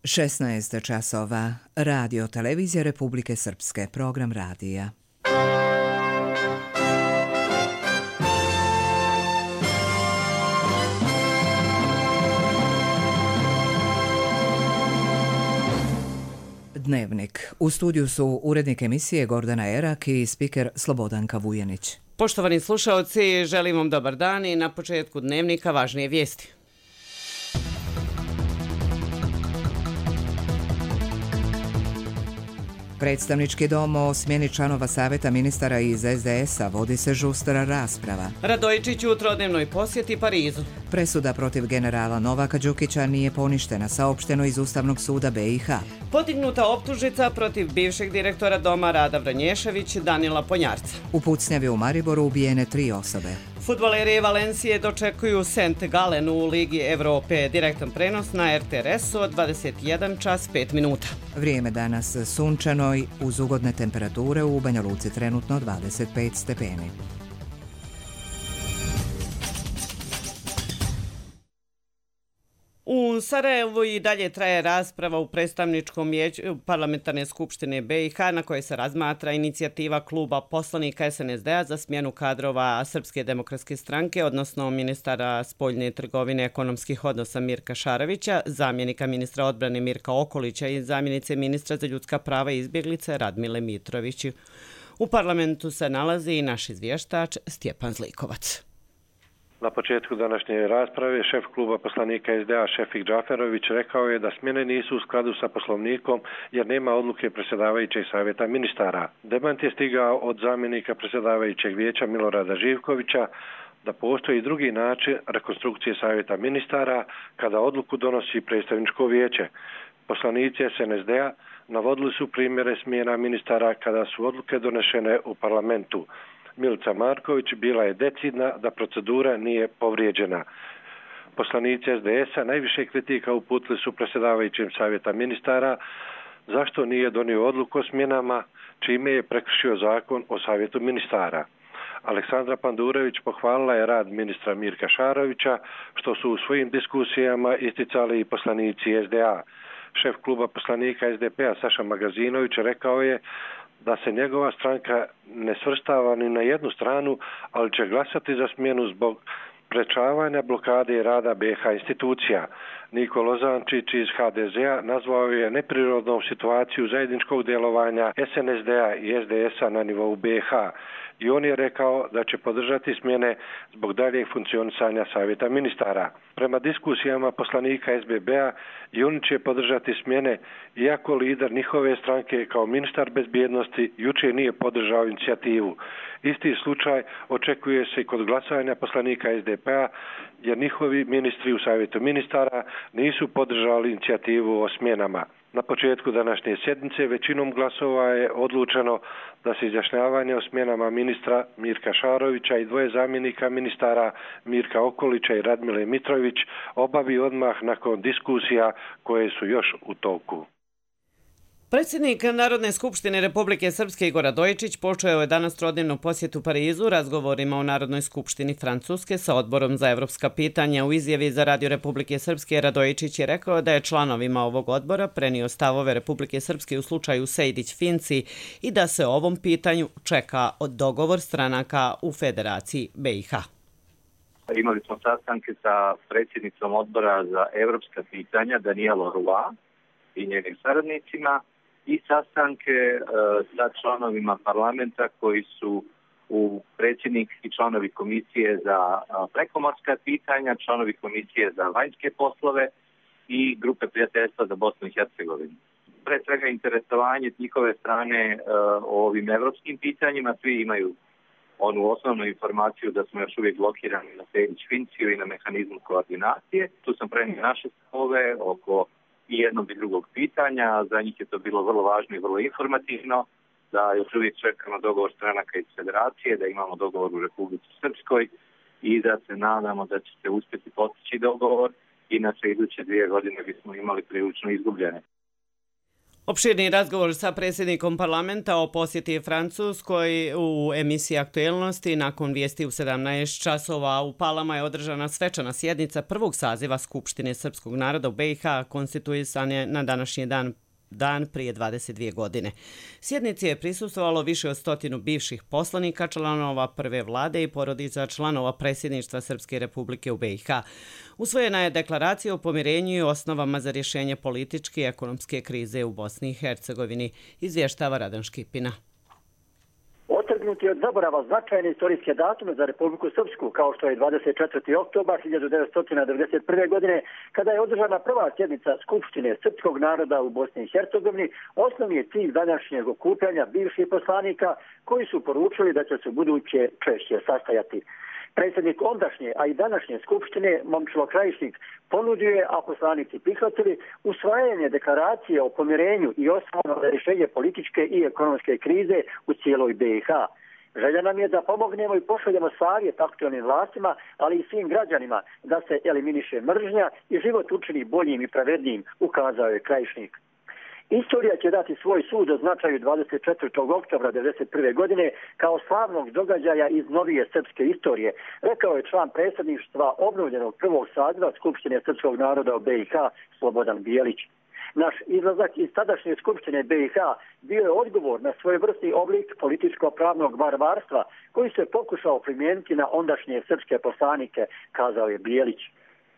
16 časova. Radio Televizija Republike Srpske. Program radija. Dnevnik. U studiju su urednik emisije Gordana Erak i spiker Slobodanka Vujanić. Poštovani slušaoci, želim vam dobar dan i na početku dnevnika važnije vijesti. Predstavnički dom o smjeni članova savjeta ministara iz SDS-a vodi se žustra rasprava. Radojičić u trodnevnoj posjeti Parizu. Presuda protiv generala Novaka Đukića nije poništena, saopšteno iz Ustavnog suda BiH. Podignuta optužnica protiv bivšeg direktora doma Rada Vranješević Danila Ponjarca. U pucnjavi u Mariboru ubijene 3 osobe. Fudbaleri Valencije dočekuju St. Gallen u Ligi Evrope. Direktan prenos na RTRS-u od 21 čas 5 minuta. Vrijeme danas sunčano i uz ugodne temperature, u Banja Luci trenutno 25 stepeni. U Sarajevu i dalje traje rasprava u predstavničkom vijeću Parlamentarne skupštine BiH na kojoj se razmatra inicijativa kluba poslanika SNSD-a za smjenu kadrova Srpske demokratske stranke, odnosno ministara spoljne trgovine ekonomskih odnosa Mirka Šarovića, zamjenika ministra odbrane Mirka Okolića i zamjenice ministra za ljudska prava i izbjeglice Radmile Mitrović. U parlamentu se nalazi i naš izvještač Stjepan Zlikovac. Na početku današnje rasprave šef kluba poslanika SDA Šefik Džaferović rekao je da smjene nisu u skladu sa poslovnikom jer nema odluke predsjedavajućeg savjeta ministara. Demant je stigao od zamjenika predsjedavajućeg vijeća Milorada Živkovića da postoji drugi način rekonstrukcije savjeta ministara kada odluku donosi predstavničko vijeće. Poslanici SNSD-a navodili su primjere smjena ministara kada su odluke donešene u parlamentu. Milica Marković bila je decidna da procedura nije povrijeđena. Poslanici SDS-a najviše kritika uputili su predsjedavajućem savjeta ministara zašto nije donio odluku o smjenama, čime je prekršio zakon o savjetu ministara. Aleksandra Pandurević pohvalila je rad ministra Mirka Šarovića, što su u svojim diskusijama isticali i poslanici SDA. Šef kluba poslanika SDP-a Saša Magazinović rekao je da se njegova stranka ne svrstava ni na jednu stranu, ali će glasati za smjenu zbog sprečavanja blokade i rada BiH institucija. Niko Lozančić iz HDZ-a nazvao je neprirodnom situaciju zajedničkog djelovanja SNSD-a i SDS-a na nivou BiH. I on je rekao da će podržati smjene zbog daljeg funkcionisanja savjeta ministara. Prema diskusijama poslanika SBB-a i oni će podržati smjene, iako lider njihove stranke kao ministar bezbjednosti jučer nije podržao inicijativu. Isti slučaj očekuje se i kod glasovanja poslanika SDP-a jer njihovi ministri u savjetu ministara nisu podržali inicijativu o smjenama. Na početku današnje sjednice većinom glasova je odlučeno da se izjašnjavanje o smjenama ministra Mirka Šarovića i dvoje zamjenika ministara Mirka Okolića i Radmile Mitrović obavi odmah nakon diskusija koje su još u toku. Predsjednik Narodne skupštine Republike Srpske Igor Radojičić počeo je danas trodnevnu posjetu Parizu razgovorima o Narodnoj skupštini Francuske sa odborom za evropska pitanja. U izjavi za Radio Republike Srpske Radojičić je rekao da je članovima ovog odbora prenio stavove Republike Srpske u slučaju Sejdić-Finci i da se o ovom pitanju čeka dogovor stranaka u Federaciji BiH. Imali smo sastanke sa predsjednicom odbora za evropska pitanja Danielom Roy i njenim saradnicima i sastanke sa članovima parlamenta koji su predsjednik i članovi komisije za prekomorska pitanja, članovi komisije za vanjske poslove i grupe prijateljstva za Bosnu i Hercegovinu. Pre svega interesovanje njihove strane o ovim evropskim pitanjima, svi imaju onu osnovnu informaciju da smo još uvijek blokirani na Sejdić-Finciju i na mehanizmu koordinacije. Tu sam prenio naše stavove oko i jednog i drugog pitanja. Za njih je to bilo vrlo važno i vrlo informativno, da još uvijek čekamo dogovor stranaka iz Federacije, da imamo dogovor u Republici Srpskoj i da se nadamo da će se uspjeti postići dogovor, inače iduće 2 godine bismo imali prilično izgubljene. Opširni razgovor sa predsjednikom parlamenta o posjeti Francuskoj u emisiji Aktuelnosti nakon vijesti u 17 časova u Palama je održana svečana sjednica prvog saziva Skupštine srpskog naroda u BiH konstituisane na današnji dan prije 22 godine. Sjednici je prisustvovalo više od 100 bivših poslanika, članova prve vlade i porodica članova predsjedništva Srpske republike u BiH. Usvojena je deklaracija o pomirenju i osnovama za rješenje političke i ekonomske krize u Bosni i Hercegovini, izvještava Radan Škipina. Otrgnuti od zaborava značajne istorijske datume za Republiku Srpsku, kao što je 24. oktobar 1991. godine, kada je održana prva sjednica Skupštine srpskog naroda u Bosni i Hercegovini, osnovni je cilj današnjeg okupljanja bivših poslanika koji su poručili da će se buduće češće sastajati. Predsjednik ondašnje, a i današnje Skupštine, Momčilo Krajišnik, ponudio je, a poslanici prihvatili, usvajanje deklaracije o pomirenju i osnovama za rješenje političke i ekonomske krize u cijeloj BiH. Želja nam je da pomognemo i pošaljemo savjet aktualnim vlastima, ali i svim građanima da se eliminiše mržnja i život učini boljim i pravednijim, ukazao je Krajišnik. Istorija će dati svoj sud o značaju 24. oktobra 1991. godine kao slavnog događaja iz novije srpske istorije, rekao je član predsjedništva obnovljenog prvog saziva Skupštine srpskog naroda u BiH Slobodan Bijelić. Naš izlazak iz tadašnje Skupštine BiH bio je odgovor na svojevrsni oblik političko-pravnog varvarstva koji se pokušao primijeniti na ondašnje srpske poslanike, kazao je Bijelić.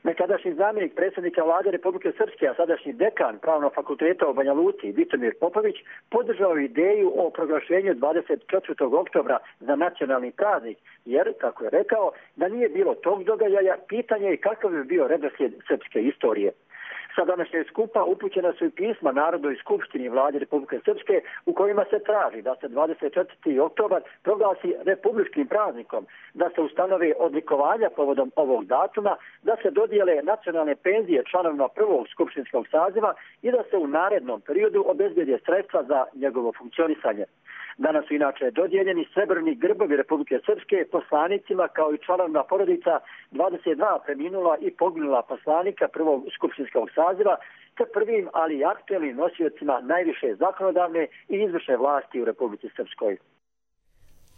Nekadašnji zamjenik predsjednika vlade Republike Srpske, a sadašnji dekan Pravnog fakulteta u Banja Luci, Vitomir Popović, podržao ideju o proglašenju 24. oktobra za nacionalni praznik, jer, kako je rekao, da nije bilo tog događaja, pitanje je kakav bi bio redoslijed srpske istorije. Sa današnjeg skupa upućena su i pisma Narodnoj skupštini vlade Republike Srpske u kojima se traži da se 24. oktobar proglasi republičkim praznikom, da se ustanove odlikovanja povodom ovog datuma, da se dodijele nacionalne penzije članovima prvog skupštinskog saziva i da se u narednom periodu obezbijede sredstva za njegovo funkcionisanje. Danas su inače dodijeljeni srebrni grbovi Republike Srpske poslanicima kao i članovima porodica 22 preminula i poginula poslanika prvog skupštinskog saziva te prvim, ali i aktuelnim nosiocima najviše zakonodavne i izvršne vlasti u Republici Srpskoj.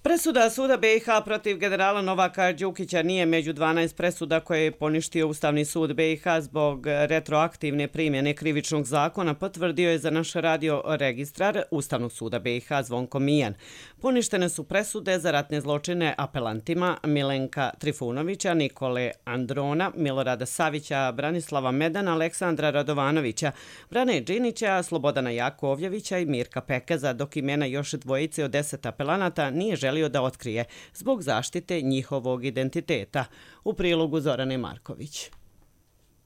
Presuda Suda BiH protiv generala Novaka Đukića nije među 12 presuda koje je poništio Ustavni sud BiH zbog retroaktivne primjene krivičnog zakona, potvrdio je za naš radio registrar Ustavnog suda BiH Zvonko Mijan. Poništene su presude za ratne zločine apelantima Milenka Trifunovića, Nikole Androna, Milorada Savića, Branislava Medana, Aleksandra Radovanovića, Brane Đinića, Slobodana Jakovljevića i Mirka Pekeza, dok imena još dvojice od 10 apelanata nije želio da otkrije zbog zaštite njihovog identiteta. U prilogu Zorane Marković.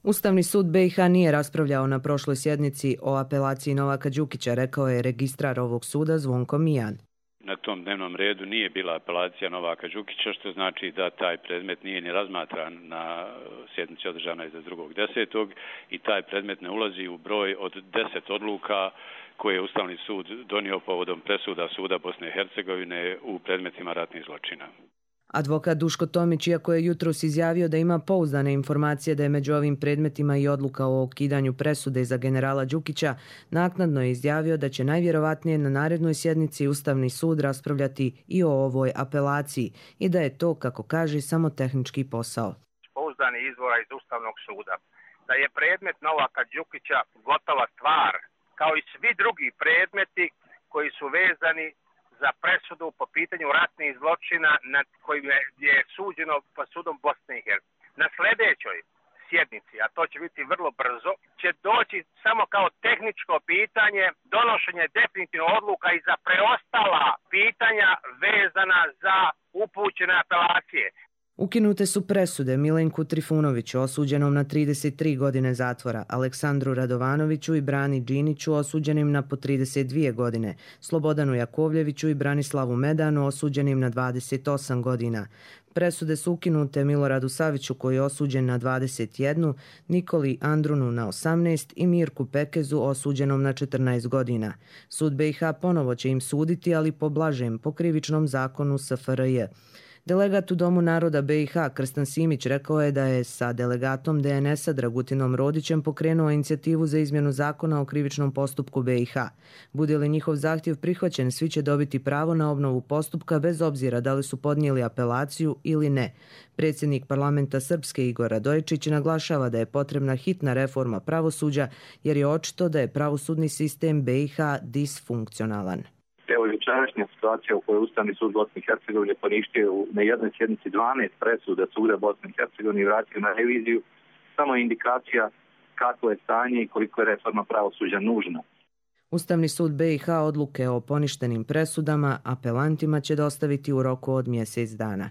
Ustavni sud BiH nije raspravljao na prošloj sjednici o apelaciji Novaka Đukića, rekao je registrar ovog suda Zvonko Mijan. Na tom dnevnom redu nije bila apelacija Novaka Đukića, što znači da taj predmet nije ni razmatran na sjednici održanoj za 2.10. i taj predmet ne ulazi u broj od 10 odluka koje je Ustavni sud donio povodom presuda Suda Bosne i Hercegovine u predmetima ratnih zločina. Advokat Duško Tomić, iako je jutros izjavio da ima pouzdane informacije da je među ovim predmetima i odluka o ukidanju presude za generala Đukića, naknadno je izjavio da će najvjerovatnije na narednoj sjednici Ustavni sud raspravljati i o ovoj apelaciji i da je to, kako kaže, samo tehnički posao. Pouzdani izvora iz Ustavnog suda da je predmet Novaka Đukića gotova stvar, kao i svi drugi predmeti koji su vezani za presudu po pitanju ratnih zločina nad kojim je suđeno po sudom Bosne i Hercegovine. Na sljedećoj sjednici, a to će biti vrlo brzo, će doći samo kao tehničko pitanje donošenje definitivno odluka i za preostala pitanja vezana za upućene apelacije. Ukinute su presude Milenku Trifunoviću, osuđenom na 33 godine zatvora, Aleksandru Radovanoviću i Brani Điniću, osuđenim na po 32 godine, Slobodanu Jakovljeviću i Branislavu Medanu, osuđenim na 28 godina. Presude su ukinute Miloradu Saviću, koji je osuđen na 21, Nikoli Andrunu na 18 i Mirku Pekezu, osuđenom na 14 godina. Sud BiH ponovo će im suditi, ali po blažem, po krivičnom zakonu SFRJ. Delegat u Domu naroda BiH Krstan Simić rekao je da je sa delegatom DNS-a Dragutinom Rodićem pokrenuo inicijativu za izmjenu zakona o krivičnom postupku BiH. Bude li njihov zahtjev prihvaćen, svi će dobiti pravo na obnovu postupka bez obzira da li su podnijeli apelaciju ili ne. Predsjednik parlamenta Srpske Igor Radojičić naglašava da je potrebna hitna reforma pravosuđa jer je očito da je pravosudni sistem BiH disfunkcionalan. Evo jučerašnja situacija u kojoj Ustavni sud Bosne i Hercegovine poništio na jednoj sjednici 12 presuda suda Bosne i Hercegovine i vratio na reviziju, samo je indikacija kako je stanje i koliko je reforma pravosuđa nužna. Ustavni sud BiH odluke o poništenim presudama apelantima će dostaviti u roku od mjesec dana.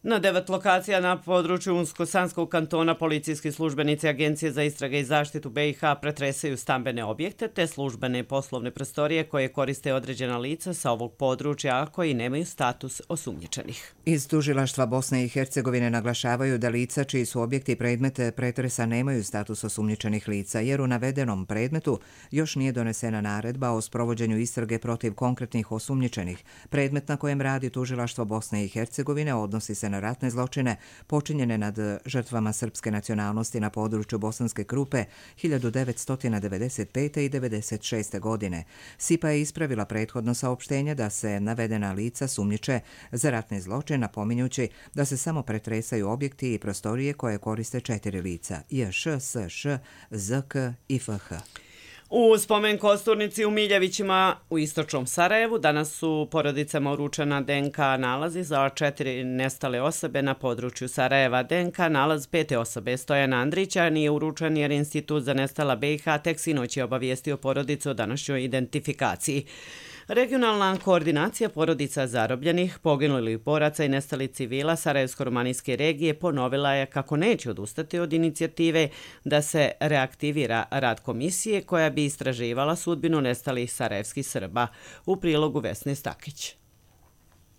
Na 9 lokacija na području Unsko-Sanskog kantona policijski službenici Agencije za istrage i zaštitu BiH pretresaju stambene objekte te službene poslovne prostorije koje koriste određena lica sa ovog područja, a koji nemaju status osumnjičenih. Iz tužilaštva Bosne i Hercegovine naglašavaju da lica čiji su objekti i predmete pretresa nemaju status osumnjičenih lica, jer u navedenom predmetu još nije donesena naredba o sprovođenju istrage protiv konkretnih osumnjičenih. Predmet na kojem radi tužilaštvo Bosne i Hercegovine odnosi se na ratne zločine počinjene nad žrtvama srpske nacionalnosti na području Bosanske Krupe 1995. i 1996. godine. SIPA je ispravila prethodno saopštenje da se navedena lica sumnjiče za ratne zločine, napominjući da se samo pretresaju objekti i prostorije koje koriste 4 lica: JŠ, SŠ, ZK i FH. U spomen kosturnici u Miljevićima u istočnom Sarajevu danas su porodicama uručena DNK nalazi za 4 nestale osobe na području Sarajeva. DNK nalaz 5. osobe Stojana Andrića nije uručen jer Institut za nestala BiH tek sinoć je obavijestio porodicu o današnjoj identifikaciji. Regionalna koordinacija porodica zarobljenih, poginulih boraca i nestalih civila Sarajevsko-romanijske regije ponovila je kako neće odustati od inicijative da se reaktivira rad komisije koja bi istraživala sudbinu nestalih sarajevskih Srba. U prilogu Vesne Stakić.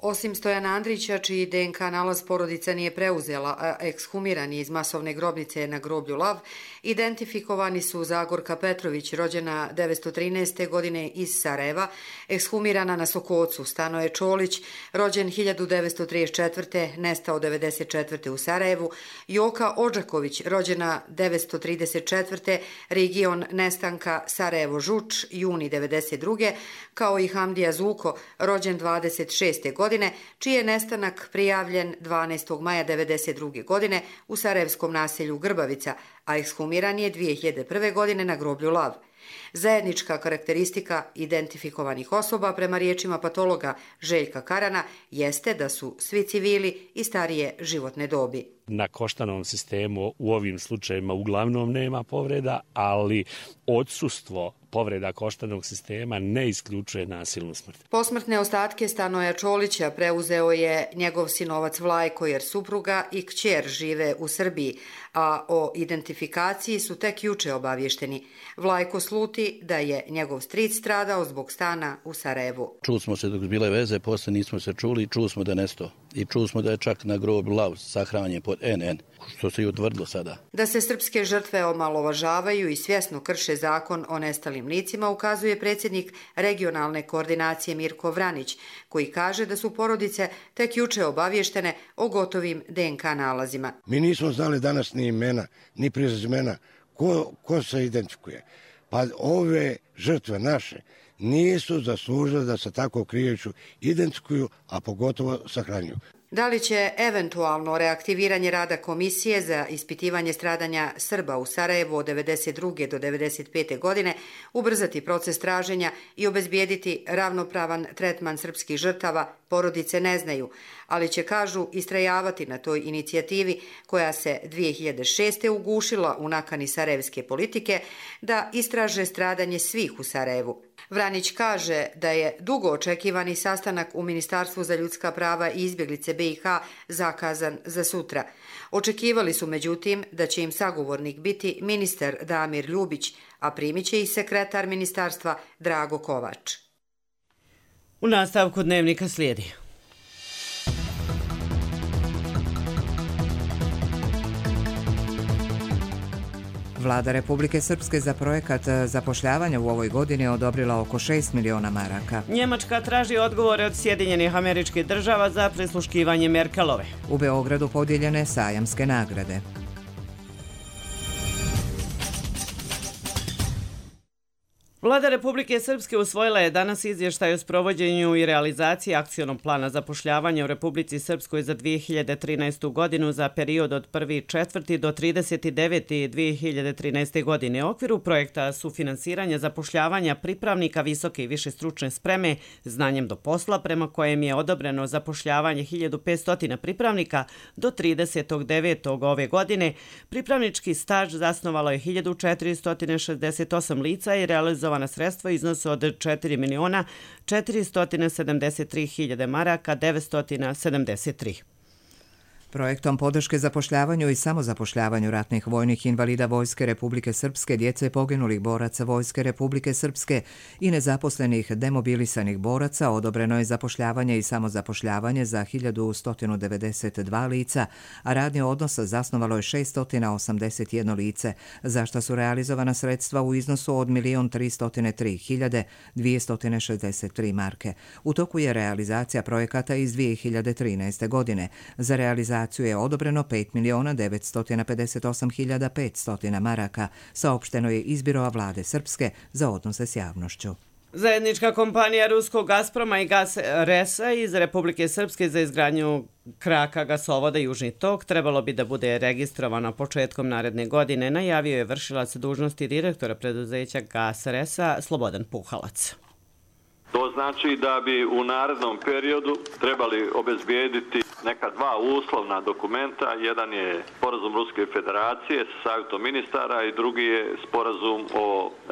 Osim Stojana Andrića, čiji DNK nalaz porodica nije preuzela, a ekshumiran je iz masovne grobnice na groblju Lav, identifikovani su Zagorka Petrović, rođena 1913. godine iz Sarajeva, ekshumirana na Sokocu, Stanoje Čolić, rođen 1934. nestao 1994. u Sarajevu, Joka Odžaković, rođena 1934. region nestanka Sarajevo-Žuč, juni 1992. kao i Hamdija Zuko, rođen 26. godine, čiji je nestanak prijavljen 12. maja 1992. godine u sarajevskom naselju Grbavica, a ekshumiran je 2001. godine na groblju Lav. Zajednička karakteristika identifikovanih osoba prema riječima patologa Željka Karana jeste da su svi civili i starije životne dobi. Na koštanom sistemu u ovim slučajevima uglavnom nema povreda, ali odsustvo povreda koštanog sistema ne isključuje nasilnu smrt. Posmrtne ostatke Stanoja Čolića preuzeo je njegov sinovac Vlajko jer supruga i kćer žive u Srbiji, a o identifikaciji su tek juče obavješteni. Vlajko sluti da je njegov stric stradao zbog stana u Sarajevu. Čuli smo se dok bile veze, posle nismo se čuli i čuli smo da je nestao. I čuli smo da je čak na grobu Lav sahranjen pod NN, što se i utvrdilo sada. Da se srpske žrtve omalovažavaju i svjesno krše zakon o nestalim licima ukazuje predsjednik regionalne koordinacije Mirko Vranić, koji kaže da su porodice tek juče obavještene o gotovim DNK nalazima. Mi nismo znali danas ni imena, ni prezimena, ko se identifikuje. Pa ove žrtve naše nisu zaslužile da se tako krijuću identifikuju, a pogotovo sahranjuju. Da li će eventualno reaktiviranje rada komisije za ispitivanje stradanja Srba u Sarajevu od 1992. do 1995. godine ubrzati proces traženja i obezbijediti ravnopravan tretman srpskih žrtava, porodice ne znaju, ali će, kažu, istrajavati na toj inicijativi koja se 2006. ugušila u nakani sarajevske politike da istraže stradanje svih u Sarajevu. Vranić kaže da je dugo očekivani sastanak u Ministarstvu za ljudska prava i izbjeglice BiH zakazan za sutra. Očekivali su, međutim, da će im sagovornik biti ministar Damir Ljubić, a primit će i sekretar ministarstva Drago Kovač. U nastavku dnevnika slijedi. Vlada Republike Srpske za projekat zapošljavanja u ovoj godini odobrila oko 6 miliona maraka. Njemačka traži odgovore od Sjedinjenih Američkih Država za prisluškivanje Merkelove. U Beogradu podijeljene sajamske nagrade. Vlada Republike Srpske usvojila je danas izvještaj o sprovođenju i realizaciji akcionog plana zapošljavanja u Republici Srpskoj za 2013. godinu za period od 1.4. do 39. 2013. godine. U okviru projekta sufinansiranja zapošljavanja pripravnika visoke i više stručne spreme znanjem do posla, prema kojem je odobreno zapošljavanje 1500 pripravnika do 30.9. ove godine, pripravnički staž zasnovalo je 1468 lica i realizovano sredstva iznosu od 4.473.000 maraka 973. Projektom podrške zapošljavanju i samozapošljavanju ratnih vojnih invalida Vojske Republike Srpske, djece poginulih boraca Vojske Republike Srpske i nezaposlenih demobilisanih boraca odobreno je zapošljavanje i samozapošljavanje za 1192 lica, a radni odnos zasnovalo je 681 lice, za što su realizovana sredstva u iznosu od 1.303.263 marke. U toku je realizacija projekata iz 2013. godine. Za realizaciju je odobreno 5.958.500 maraka, saopšteno je iz Biroa Vlade Srpske za odnose s javnošću. Zajednička kompanija ruskog Gazproma i GasResa iz Republike Srpske za izgradnju kraka gasovoda Južni tok trebalo bi da bude registrovano početkom naredne godine, najavio je vršilac dužnosti direktora preduzeća GasResa Slobodan Puhalac. To znači da bi u narednom periodu trebali obezbijediti neka dva uslovna dokumenta. Jedan je sporazum Ruske federacije sa savjetom ministara i drugi je sporazum o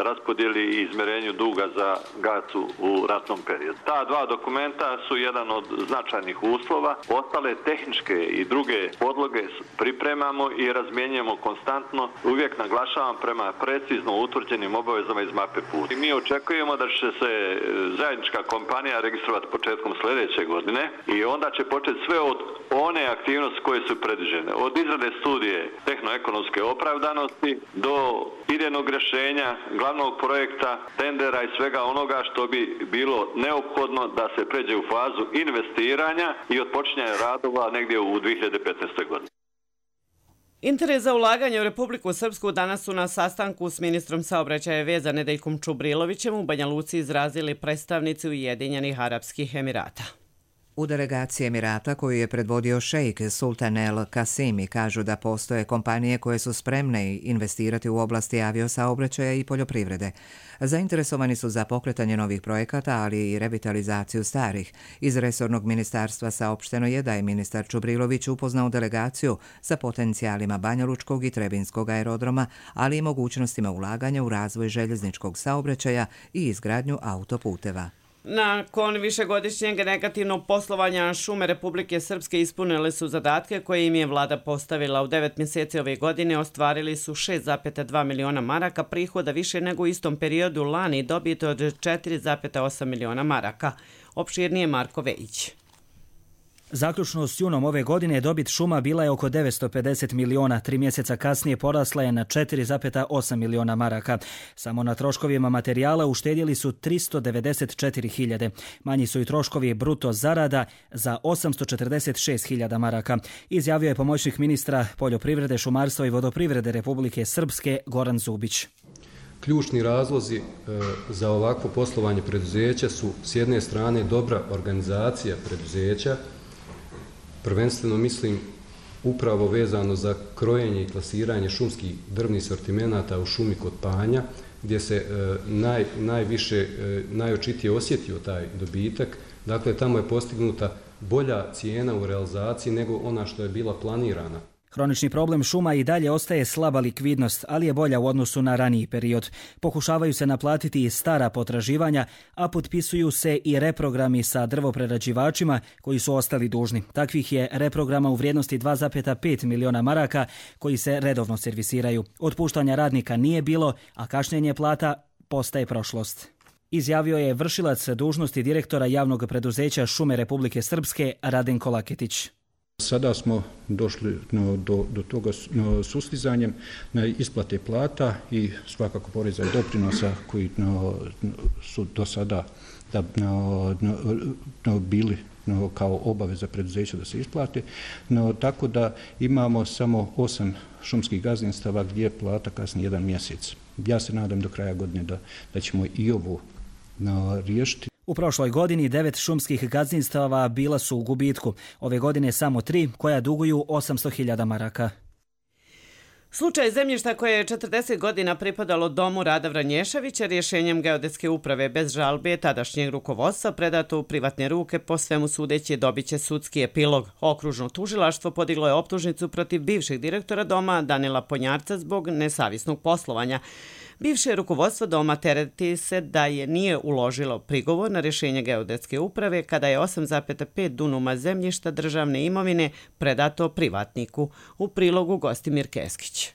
raspodjeli i izmjerenju duga za GAC-u u ratnom periodu. Ta dva dokumenta su jedan od značajnih uslova. Ostale tehničke i druge podloge pripremamo i razmjenjujemo konstantno. Uvijek naglašavam prema precizno utvrđenim obavezama iz mape puta. Mi očekujemo da će se zajednička kompanija registrovati početkom sljedeće godine i onda će početi sve od one aktivnosti koje su predviđene. Od izrade studije tehnoekonomske opravdanosti do idejnog rješenja, glavnog projekta, tendera i svega onoga što bi bilo neophodno da se pređe u fazu investiranja i otpočinjanja radova negdje u 2015. godini. Interes za ulaganje u Republiku Srpsku danas su na sastanku s ministrom saobraćaja i veza Nedeljkom Čubrilovićem u Banja Luci izrazili predstavnici Ujedinjenih Arapskih Emirata. U delegaciji Emirata koju je predvodio šejk Sultan El Kasimi kažu da postoje kompanije koje su spremne investirati u oblasti aviosaobraćaja i poljoprivrede. Zainteresovani su za pokretanje novih projekata, ali i revitalizaciju starih. Iz resornog ministarstva saopšteno je da je ministar Čubrilović upoznao delegaciju sa potencijalima Banjalučkog i Trebinskog aerodroma, ali i mogućnostima ulaganja u razvoj željezničkog saobraćaja i izgradnju autoputeva. Nakon višegodišnjeg negativnog poslovanja šume Republike Srpske ispunile su zadatke koje im je vlada postavila. U 9 mjeseci ove godine ostvarili su 6,2 miliona maraka prihoda više nego u istom periodu lani, dobit od 4,8 miliona maraka. Opširnije Marko Vejić. Zaključno s junom ove godine dobit šuma bila je oko 950 miliona, 3 mjeseca kasnije porasla je na 4,8 miliona maraka. Samo na troškovima materijala uštedjeli su 394.000. Manji su i troškovi bruto zarada za 846.000 maraka, izjavio je pomoćnik ministra poljoprivrede, šumarstva i vodoprivrede Republike Srpske Goran Zubić. Ključni razlozi za ovakvo poslovanje preduzeća su s jedne strane dobra organizacija preduzeća, prvenstveno mislim upravo vezano za krojenje i klasiranje šumskih drvnih sortimenata u šumi kod Panja, gdje se najočitije osjetio taj dobitak. Dakle, tamo je postignuta bolja cijena u realizaciji nego ona što je bila planirana. Hronični problem šuma i dalje ostaje slaba likvidnost, ali je bolja u odnosu na raniji period. Pokušavaju se naplatiti i stara potraživanja, a potpisuju se i reprogrami sa drvoprerađivačima koji su ostali dužni. Takvih je reprograma u vrijednosti 2,5 miliona maraka koji se redovno servisiraju. Otpuštanja radnika nije bilo, a kašnjenje plata postaje prošlost. Izjavio je vršilac dužnosti direktora javnog preduzeća Šume Republike Srpske Radenko Laketić. Sada smo došli do toga sustizanjem na isplate plata i svakako poreza i doprinosa koji su do sada bili kao obaveza preduzeća da se isplate. Tako da imamo samo 8 šumskih gazdinstava gdje plata kasni 1 mjesec. Ja se nadam do kraja godine da ćemo i ovo riješiti. U prošloj godini 9 šumskih gazdinstava bila su u gubitku. Ove godine samo 3 koja duguju 800.000 maraka. Slučaj zemljišta koje je 40 godina pripadalo domu Rada Vranješevića rješenjem geodetske uprave bez žalbe tadašnjeg rukovodstva predato u privatne ruke, po svemu sudeći dobit će sudski epilog. Okružno tužilaštvo podiglo je optužnicu protiv bivšeg direktora doma Danila Ponjarca zbog nesavjesnog poslovanja. Bivše rukovodstvo doma tereti se da je nije uložilo prigovor na rješenje geodetske uprave kada je 8,5 dunuma zemljišta državne imovine predato privatniku. U prilogu Gostimir Keskić.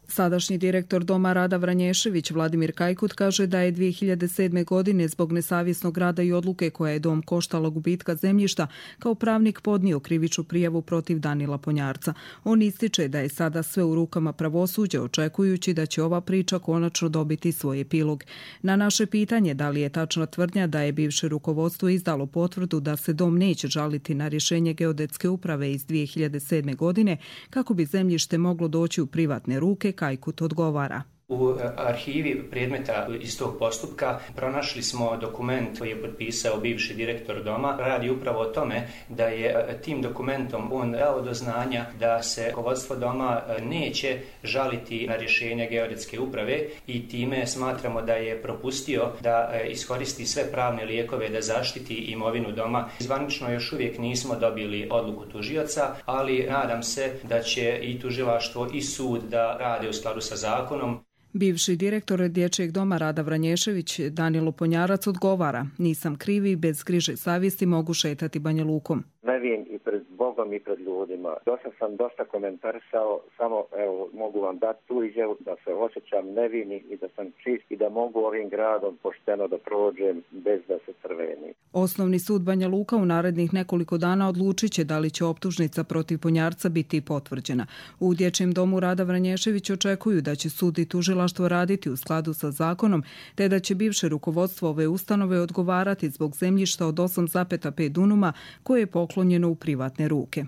Sadašnji direktor doma Rada Vranješević Vladimir Kajkut kaže da je 2007. godine zbog nesavjesnog rada i odluke koja je dom koštala gubitka zemljišta kao pravnik podnio krivičnu prijavu protiv Danila Ponjarca. On ističe da je sada sve u rukama pravosuđa očekujući da će ova priča konačno dobiti svoj epilog. Na naše pitanje da li je tačna tvrdnja da je bivše rukovodstvo izdalo potvrdu da se dom neće žaliti na rješenje geodetske uprave iz 2007. godine kako bi zemljište moglo doći u privatne ruke, Kajkut odgovara. U arhivi predmeta iz tog postupka pronašli smo dokument koji je potpisao bivši direktor doma. Radi upravo o tome da je tim dokumentom on dao do znanja da se rukovodstvo doma neće žaliti na rješenje geodetske uprave i time smatramo da je propustio da iskoristi sve pravne lijekove da zaštiti imovinu doma. Zvanično još uvijek nismo dobili odluku tužioca, ali nadam se da će i tužilaštvo i sud da rade u skladu sa zakonom. Bivši direktor Dječjeg doma Rada Vranješević Danilo Ponjarac odgovara: nisam krivi i bez griže savjesti mogu šetati Banja Lukom. Nevin i pred Bogom i pred ljudima. Sam dosta komentarisao, samo evo mogu vam dati tu izjavu da se osjećam nevini i da sam čist i da mogu ovim gradom pošteno da prođem bez da se crveni. Osnovni sud Banja Luka u narednih nekoliko dana odlučit će da li će optužnica protiv Ponjarca biti potvrđena. U Dječjem domu Rada Vranješević očekuju da će sud i tužilaštvo raditi u skladu sa zakonom, te da će bivše rukovodstvo ove ustanove odgovarati zbog zemljišta od 8,5 dunuma koje je poklonjeno u privatne ruke.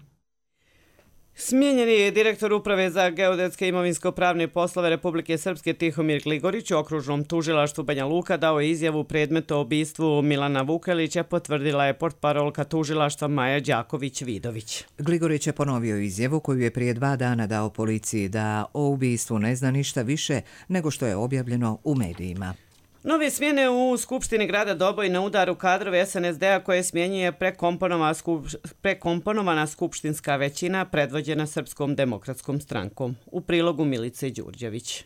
Smijenjeni je direktor uprave za geodetske imovinsko-pravne poslove Republike Srpske Tihomir Gligorić u okružnom tužilaštvu Banja Luka dao je izjavu predmetu o ubistvu Milana Vukelića, potvrdila je portparolka tužilaštva Maja Đaković-Vidović. Gligorić je ponovio izjavu koju je prije 2 dana dao policiji da o ubistvu ne zna ništa više nego što je objavljeno u medijima. Nove smjene u Skupštini grada Doboj na udaru kadrove SNSD-a koje smjenjuje prekomponovana skupštinska većina predvođena Srpskom demokratskom strankom. U prilogu Milice Đurđević.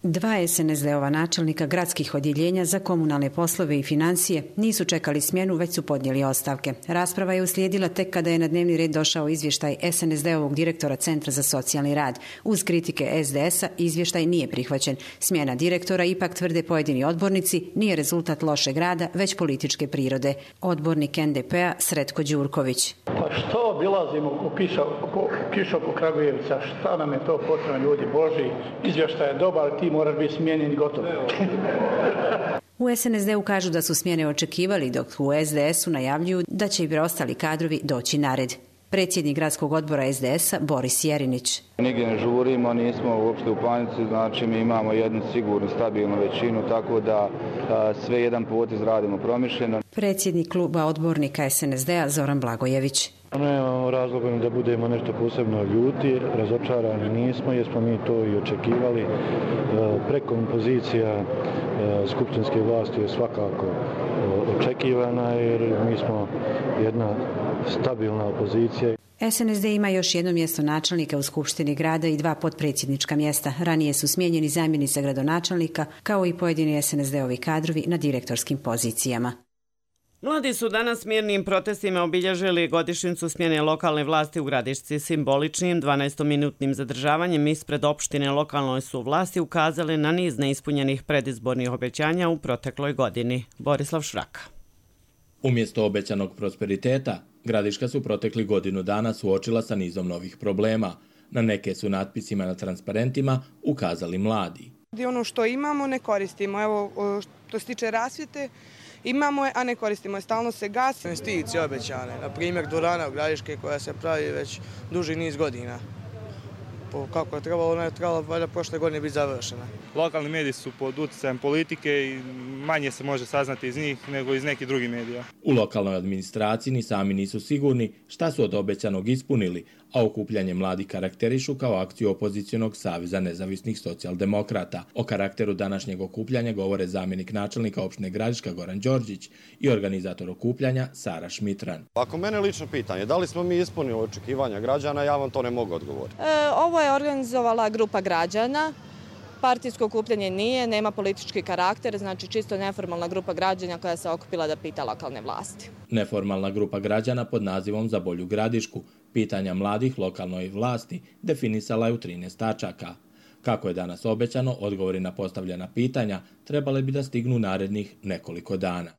2 SNSD-ova načelnika gradskih odjeljenja za komunalne poslove i financije nisu čekali smjenu, već su podnijeli ostavke. Rasprava je uslijedila tek kada je na dnevni red došao izvještaj SNSD-ovog direktora Centra za socijalni rad. Uz kritike SDS-a izvještaj nije prihvaćen. Smjena direktora, ipak tvrde pojedini odbornici, nije rezultat lošeg rada, već političke prirode. Odbornik NDP-a Sretko Đurković. Pa što obilazimo ko kiša oko Kragujevca? Šta nam je to potrebno, ljudi Boži? Izvještaj je dobar, ti moraš biti smijenjen i gotovo. U SNSD-u kažu da su smjene očekivali, dok u SDS-u najavljuju da će i preostali kadrovi doći na red. Predsjednik gradskog odbora SDS-a Boris Jerinić. Nigdje ne žurimo, nismo uopšte u panici, znači mi imamo jednu sigurnu, stabilnu većinu, tako da sve jedan potez radimo promišljeno. Predsjednik kluba odbornika SNSD-a Zoran Blagojević. Nemamo razloga da budemo nešto posebno ljuti, razočarani nismo jer smo mi to i očekivali. Prekompozicija skupštinske vlasti je svakako očekivana jer mi smo jedna stabilna opozicija. SNSD ima još jedno mjesto načelnika u Skupštini grada i 2 potpredsjednička mjesta. Ranije su smijenjeni zamjenica gradonačelnika kao i pojedini SNSD-ovi kadrovi na direktorskim pozicijama. Mladi su danas mirnim protestima obilježili godišnjicu smjene lokalne vlasti u Gradišci. Simboličnim 12-minutnim zadržavanjem ispred opštine lokalnoj su vlasti ukazali na niz neispunjenih predizbornih obećanja u protekloj godini. Borislav Šraka. Umjesto obećanog prosperiteta, Gradiška su protekli godinu dana suočila sa nizom novih problema. Na neke su natpisima na transparentima ukazali mladi. Ono što imamo ne koristimo. Evo, što se tiče rasvjete, imamo je, a ne koristimo je. Stalno se gasi. Investicije obećane, na primjer dvorana u Gradiške koja se pravi već duži niz godina. Kako je trebalo, ona je trebala valjda prošle godine biti završena. Lokalni mediji su pod utjecajem politike i manje se može saznati iz njih nego iz nekih drugih medija. U lokalnoj administraciji ni sami nisu sigurni šta su od obećanog ispunili, a okupljanje mladih karakterišu kao akciju opozicionog saveza nezavisnih socijaldemokrata. O karakteru današnjeg okupljanja govore zamjenik načelnika opštine Gradiška Goran Đorđić i organizator okupljanja Sara Šmitran. Ako mene lično pitanje, da li smo mi ispunili očekivanja građana, ja vam to ne mogu odgovoriti. Ovo je organizovala grupa građana. Partijsko okupljanje nije, nema politički karakter, znači čisto neformalna grupa građana koja se okupila da pita lokalne vlasti. Neformalna grupa građana pod nazivom Za bolju Gradišku pitanja mladih lokalnoj vlasti definisala je u 13 tačaka. Kako je danas obećano, odgovori na postavljena pitanja trebale bi da stignu narednih nekoliko dana.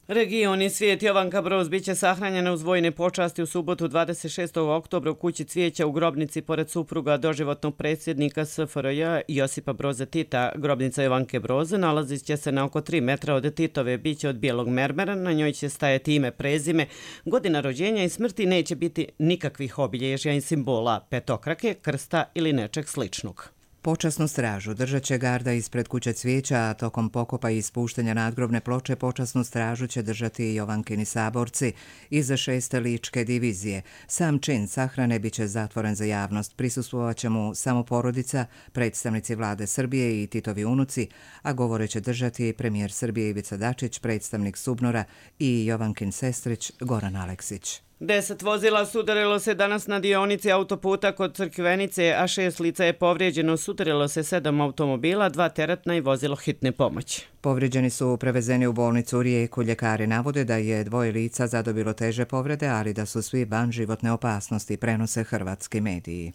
Region i svijet Jovanka Broz biće sahranjena uz vojne počasti u subotu 26. oktobra u kući Cvijeća u grobnici pored supruga doživotnog predsjednika SFRJ Josipa Broza Tita. Grobnica Jovanke Broze nalazit će se na oko 3 metra od Titove, biće od bijelog mermera, na njoj će stajati ime, prezime, godina rođenja i smrti, neće biti nikakvih obilježja i simbola, petokrake, krsta ili nečeg sličnog. Počasnu stražu držat će garda ispred kuće Cvijeća, a tokom pokopa i ispuštanja nadgrobne ploče počasnu stražu će držati i Jovankini saborci iz 6. ličke divizije. Sam čin sahrane bit će zatvoren za javnost. Prisustvovat će mu samo porodica, predstavnici vlade Srbije i Titovi unuci, a govore će držati premijer Srbije Ivica Dačić, predstavnik Subnora i Jovankin sestrić Goran Aleksić. 10 vozila sudarilo se danas na dionici autoputa kod Crkvenice, a 6 lica je povrijeđeno. Sudarilo se 7 automobila, 2 teretna i vozilo hitne pomoći. Povrijeđeni su prevezeni u bolnicu u Rijeku. Ljekari navode da je 2 lica zadobilo teže povrede, ali da su svi van životne opasnosti, prenose hrvatski mediji.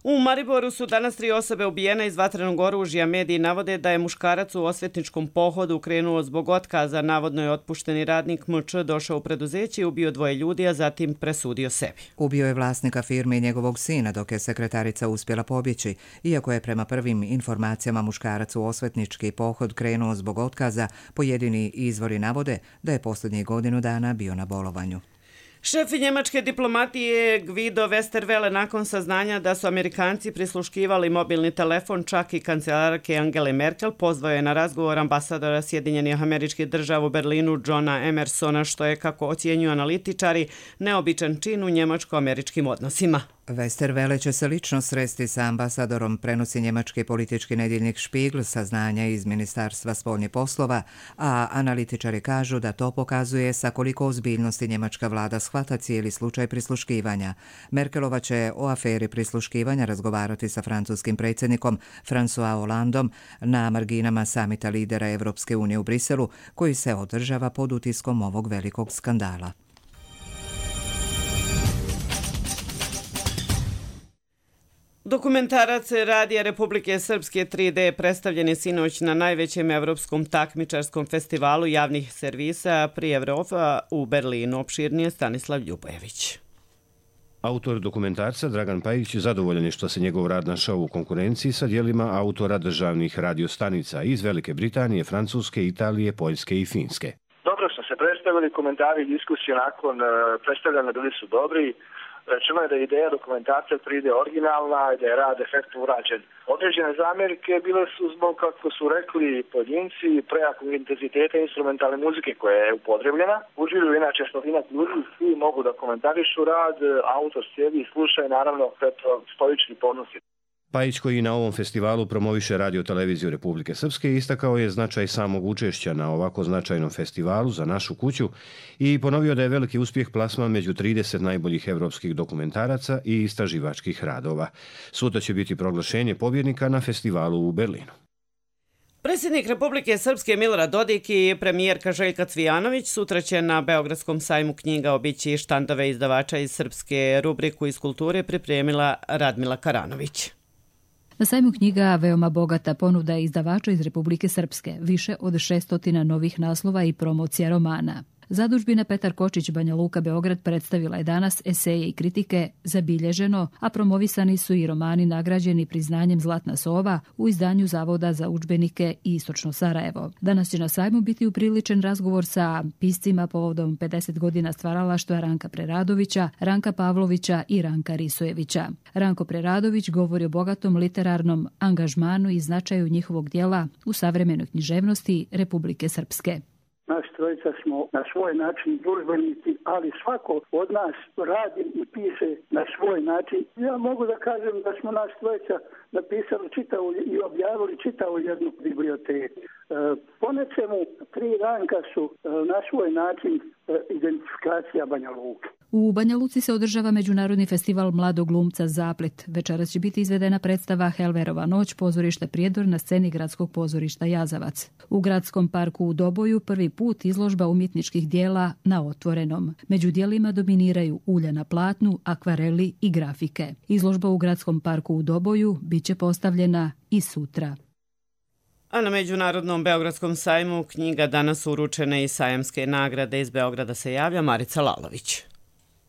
U Mariboru su danas 3 osobe ubijene iz vatrenog oružja. Mediji navode da je muškarac u osvetničkom pohodu krenuo zbog otkaza. Navodno je otpušteni radnik MČ došao u preduzeće i ubio 2 ljudi, a zatim presudio sebi. Ubio je vlasnika firme i njegovog sina, dok je sekretarica uspjela pobjeći. Iako je prema prvim informacijama muškarac u osvetnički pohod krenuo zbog otkaza, pojedini izvori navode da je posljednjih godinu dana bio na bolovanju. Šef njemačke diplomatije Guido Westerwelle nakon saznanja da su Amerikanci prisluškivali mobilni telefon čak i kancelarke Angele Merkel pozvao je na razgovor ambasadora Sjedinjenih Američkih Država u Berlinu Johna Emersona, što je, kako ocjenjuju analitičari, neobičan čin u njemačko-američkim odnosima. Westerwelle će se lično sresti sa ambasadorom, prenosi njemački politički nedjeljnik Spiegel, saznanja iz Ministarstva spoljnih poslova, a analitičari kažu da to pokazuje sa koliko ozbiljnosti njemačka vlada shvata cijeli slučaj prisluškivanja. Merkelova će o aferi prisluškivanja razgovarati sa francuskim predsjednikom François Hollandom na marginama samita lidera Evropske unije u Briselu, koji se održava pod utiskom ovog velikog skandala. Dokumentarac Radija Republike Srpske 3D predstavljen je sinoć na najvećem evropskom takmičarskom festivalu javnih servisa pri Evropa u Berlinu. Opširnije Stanislav Ljubojević. Autor dokumentarca Dragan Pajić zadovoljan je što se njegov rad našao u konkurenciji sa dijelima autora državnih radiostanica iz Velike Britanije, Francuske, Italije, Poljske i Finske. Dobro smo se predstavili, komentari i diskusije nakon predstavljanja bili su dobri. Rečeno je da je ideja dokumentarca 3D originalna i da je rad efektno urađen. Određene zamjerke bile su zbog, kako su rekli pojedinci, prejakog intenziteta instrumentalne muzike koja je upotrebljena. Uživuju inače stotinak ljudi, svi mogu da komentarišu rad, autor sjedi i sluša i naravno stoični ponosi. Pajić, koji na ovom festivalu promoviše Radio-televiziju Republike Srpske, istakao je značaj samog učešća na ovako značajnom festivalu za našu kuću i ponovio da je veliki uspjeh plasman među 30 najboljih evropskih dokumentaraca i istraživačkih radova. Sutra će biti proglašenje pobjednika na festivalu u Berlinu. Predsjednik Republike Srpske Milorad Dodik i premijerka Željka Cvijanović sutra će na Beogradskom sajmu knjiga obići štandove izdavača iz Srpske. Rubriku iz kulture pripremila Radmila Karanović. Na sajmu knjiga veoma bogata ponuda izdavača iz Republike Srpske, više od 600 novih naslova i promocija romana. Zadužbina Petar Kočić Banja Luka Beograd predstavila je danas eseje i kritike Zabilježeno, a promovisani su i romani nagrađeni priznanjem Zlatna sova u izdanju Zavoda za udžbenike Istočno Sarajevo. Danas će na sajmu biti upriličen razgovor sa piscima povodom 50 godina stvaralaštva Ranka Preradovića, Ranka Pavlovića i Ranka Risojevića. Ranko Preradović govori o bogatom literarnom angažmanu i značaju njihovog djela u savremenoj književnosti Republike Srpske. Naš trojica smo na svoj način družbenici, ali svako od nas radi i piše na svoj način. Ja mogu da kažem da smo naš trojica napisali i objavili čitavu jednu biblioteku. Po nečemu 3 Ranka su na svoj način identifikacija Banja Luke. U Banja Luci se održava Međunarodni festival mladog glumca Zaplet. Večeras će biti izvedena predstava Helverova noć pozorišta Prijedor na sceni Gradskog pozorišta Jazavac. U Gradskom parku u Doboju prvi put izložba umjetničkih dijela na otvorenom. Među dijelima dominiraju ulja na platnu, akvareli i grafike. Izložba u Gradskom parku u Doboju bit će postavljena i sutra. A na Međunarodnom Beogradskom sajmu knjiga danas uručene i sajamske nagrade. Iz Beograda se javlja Marica Lalović.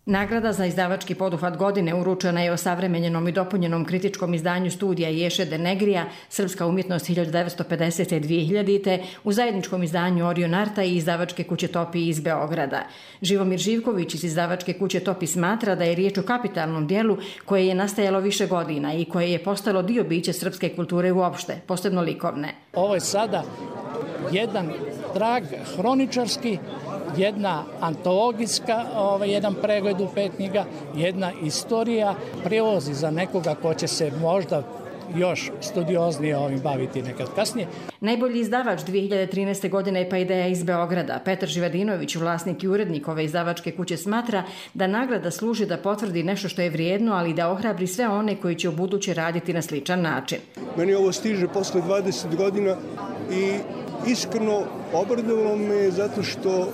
Nagrada za izdavački poduhvat godine uručena je osavremenjenom i dopunjenom kritičkom izdanju studija Ješe de Negrija, Srpska umjetnost 1950. 2000. u zajedničkom izdanju Orion Arta i izdavačke kuće Topi iz Beograda. Živomir Živković iz izdavačke kuće Topi smatra da je riječ o kapitalnom dijelu koje je nastajalo više godina i koje je postalo dio bića srpske kulture uopšte, posebno likovne. Ovo je sada jedan trag hroničarski, jedna antologijska, jedan pregled u 5 knjiga, jedna istorija, prevozi za nekoga ko će se možda još studioznije ovim baviti nekad kasnije. Najbolji izdavač 2013. godine je pa ideja iz Beograda. Petar Živadinović, vlasnik i urednik ove izdavačke kuće, smatra da nagrada služi da potvrdi nešto što je vrijedno, ali da ohrabri sve one koji će u buduće raditi na sličan način. Meni ovo stiže posle 20 godina i iskreno obradovalo me zato što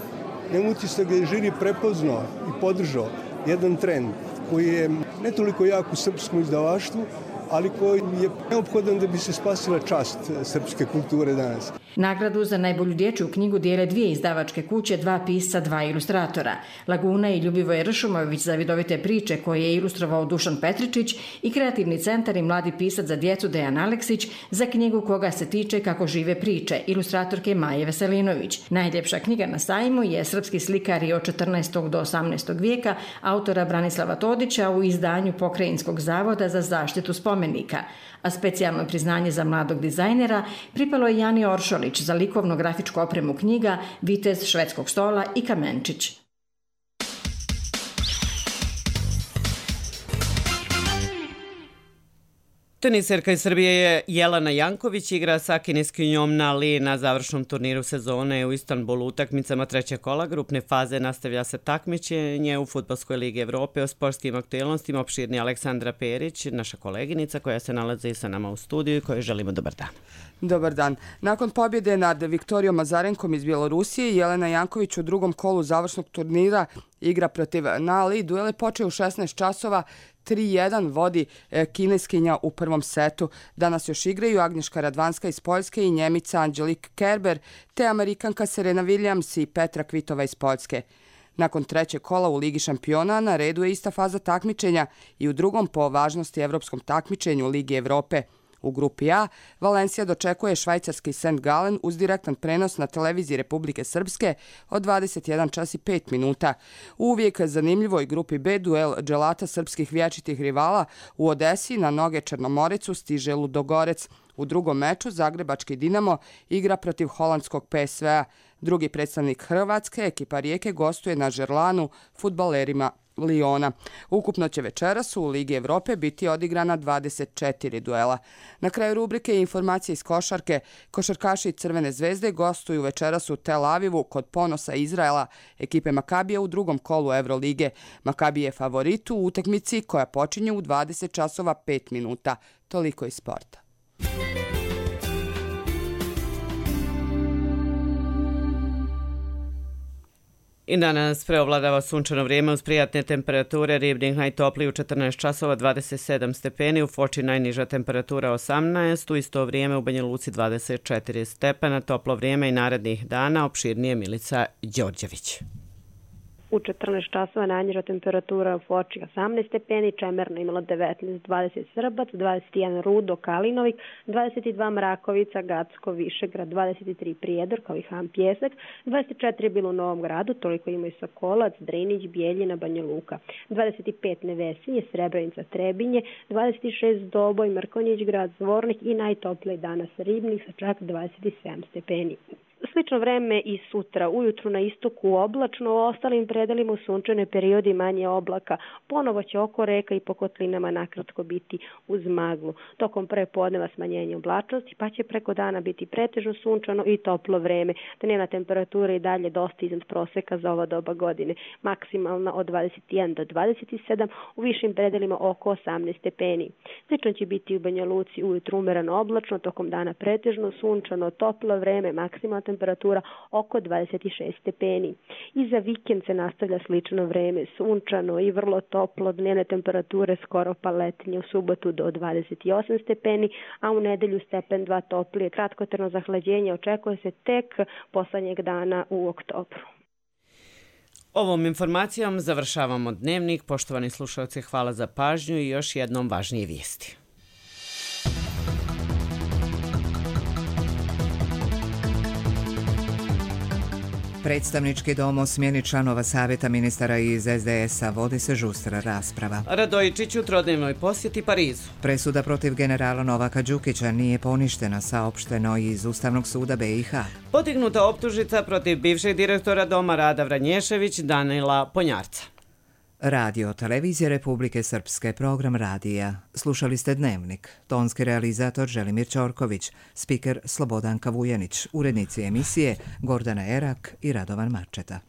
nemam utisak da je žiri prepoznao i podržao jedan trend koji je ne toliko jak u srpskom izdavaštvu, ali koji je neophodan da bi se spasila čast srpske kulture danas. Nagradu za najbolju dječju knjigu dijele 2 izdavačke kuće, 2 pisca, 2 ilustratora. Laguna i Ljubivoje Ršumović za vidovite priče koje je ilustrovao Dušan Petričić i Kreativni centar i mladi pisac za djecu Dejan Aleksić za knjigu Koga se tiče kako žive priče, ilustratorke Maje Veselinović. Najljepša knjiga na sajmu je Srpski slikari od 14. do 18. vijeka autora Branislava Todića u izdanju Pokrajinskog zavoda za zaštitu spomenika, a specijalno priznanje za mladog dizajnera pripalo je Jani Oršolić za likovno-grafičku opremu knjiga Vitez švedskog stola i Kamenčić. Teniserka iz Srbije Jelena Janković igra sa kineskinjom Na Li na završnom turniru sezone u Istanbulu. Utakmicama 3. kola grupne faze nastavlja se takmičenje u Fudbalskoj ligi Evrope. O sportskim aktualnostima opširni Aleksandra Perić, naša koleginica koja se nalazi sa nama u studiju i kojoj želimo dobar dan. Dobar dan. Nakon pobjede nad Viktorijom Azarenkom iz Bjelorusije, Jelena Janković u drugom kolu završnog turnira igra protiv Na Li. Duel je počeo u 16 časova. 3-1 vodi kineskinja u prvom setu. Danas još igraju Agnješka Radvanska iz Poljske i Njemica Angelique Kerber, te Amerikanka Serena Williams i Petra Kvitova iz Poljske. Nakon 3. kola u Ligi šampiona na redu je ista faza takmičenja i u drugom po važnosti evropskom takmičenju Ligi Evrope. U grupi A, Valencija dočekuje švajcarski St. Gallen uz direktan prenos na televiziji Republike Srpske od 21 čas i 5 minuta. Uvijek zanimljivoj grupi B duel dželata srpskih vječitih rivala u Odesi na noge Črnomorecu stiže Ludogorec. U drugom meču Zagrebački Dinamo igra protiv holandskog PSV-a. Drugi predstavnik Hrvatske, ekipa Rijeke, gostuje na žerlanu fudbalerima Liona. Ukupno će večeras u Ligi Evrope biti odigrana 24 duela. Na kraju rubrike informacije iz košarke. Košarkaši Crvene zvezde gostuju večeras u Tel Avivu kod ponosa Izraela ekipe Makabija u drugom kolu Evrolige. Makabi je favorit u utakmici koja počinje u 20 časova 5 minuta. Toliko iz sporta. I danas preovladava sunčano vrijeme uz prijatne temperature. Ribnik najtopliji u 14 časova 27 stepeni, u Foči najniža temperatura 18, u isto vrijeme u Banja Luci 24 stepena. Toplo vrijeme i narednih dana, opširnije Milica Đorđević. U 14 časova najniža temperatura u Foči 18 stepeni, Čemerno imalo 19, 20 Srbac, 21 Rudo, Kalinovik, 22 Mrakovica, Gacko, Višegrad, 23 Prijedor, kao i Han Pjesak, 24 je bilo u Novom Gradu, toliko ima i Sokolac, Drinić, Bijeljina, Banja Luka, 25 Nevesinje, Srebrenica, Trebinje, 26 Doboj, Mrkonjić grad, Zvornik i najtopliji danas Ribnik sa čak 27 stepeni. Slično vreme i sutra, ujutru na istoku oblačno, u ostalim predelima u sunčane periodi manje oblaka. Ponovo će oko reka i po kotlinama nakratko biti uz maglu. Tokom prepodneva smanjenje oblačnosti, pa će preko dana biti pretežno sunčano i toplo vreme. Dnevna temperatura i dalje dosta iznad proseka za ova doba godine. Maksimalna od 21 do 27, u višim predelima oko 18 stepeni. Slično će biti u Banja Luci ujutru umereno oblačno, tokom dana pretežno sunčano, toplo vreme, maksimalna temperatura oko 26 stepeni. I za vikend se nastavlja slično vreme, sunčano i vrlo toplo, dnevne temperature skoro pa letnje, u subotu do 28 stepeni, a u nedelju stepen 2 toplije. Kratkotrajno zahlađenje očekuje se tek poslednjeg dana u oktobru. Ovom informacijom završavamo dnevnik. Poštovani slušalci, hvala za pažnju i još jednom važnije vijesti. Predstavnički dom o smjeni članova savjeta ministara iz SDS-a vodi se žustra rasprava. Radojičić u trodnevnoj posjeti Parizu. Presuda protiv generala Novaka Đukića nije poništena, saopšteno iz Ustavnog suda BiH. Podignuta optužnica protiv bivšeg direktora Doma Rada Vranješević Danila Ponjarca. Radio Televizije Republike Srpske, program radija. Slušali ste Dnevnik. Tonski realizator Želimir Ćorković, spiker Slobodanka Vujanić, urednici emisije Gordana Erak i Radovan Marčeta.